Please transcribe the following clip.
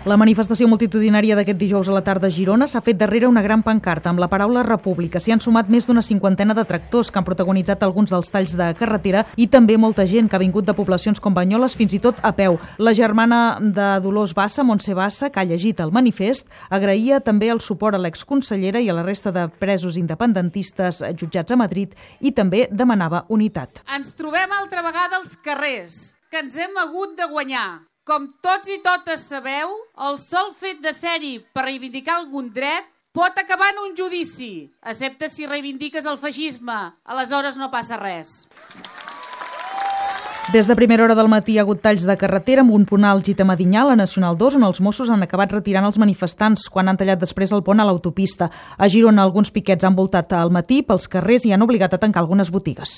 La manifestació multitudinària d'aquest dijous a la tarda a Girona s'ha fet darrere una gran pancarta amb la paraula república. S'hi han sumat més d'una cinquantena de tractors que han protagonitzat alguns dels talls de carretera i també molta gent que ha vingut de poblacions com Banyoles, fins i tot a peu. La germana de Dolors Bassa, Montse Bassa, que ha llegit el manifest, agraïa també el suport a l'exconsellera i a la resta de presos independentistes jutjats a Madrid i també demanava unitat. Ens trobem altra vegada als carrers, que ens hem hagut de guanyar. Com tots i totes sabeu, el sol fet de ser-hi per reivindicar algun dret pot acabar en un judici, excepte si reivindiques el feixisme. Aleshores no passa res. Des de primera hora del matí hi ha hagut talls de carretera amb un punt àlgid a Medinyà, la Nacional 2, on els Mossos han acabat retirant els manifestants quan han tallat després el pont a l'autopista. A Girona alguns piquets han voltat al matí pels carrers i han obligat a tancar algunes botigues.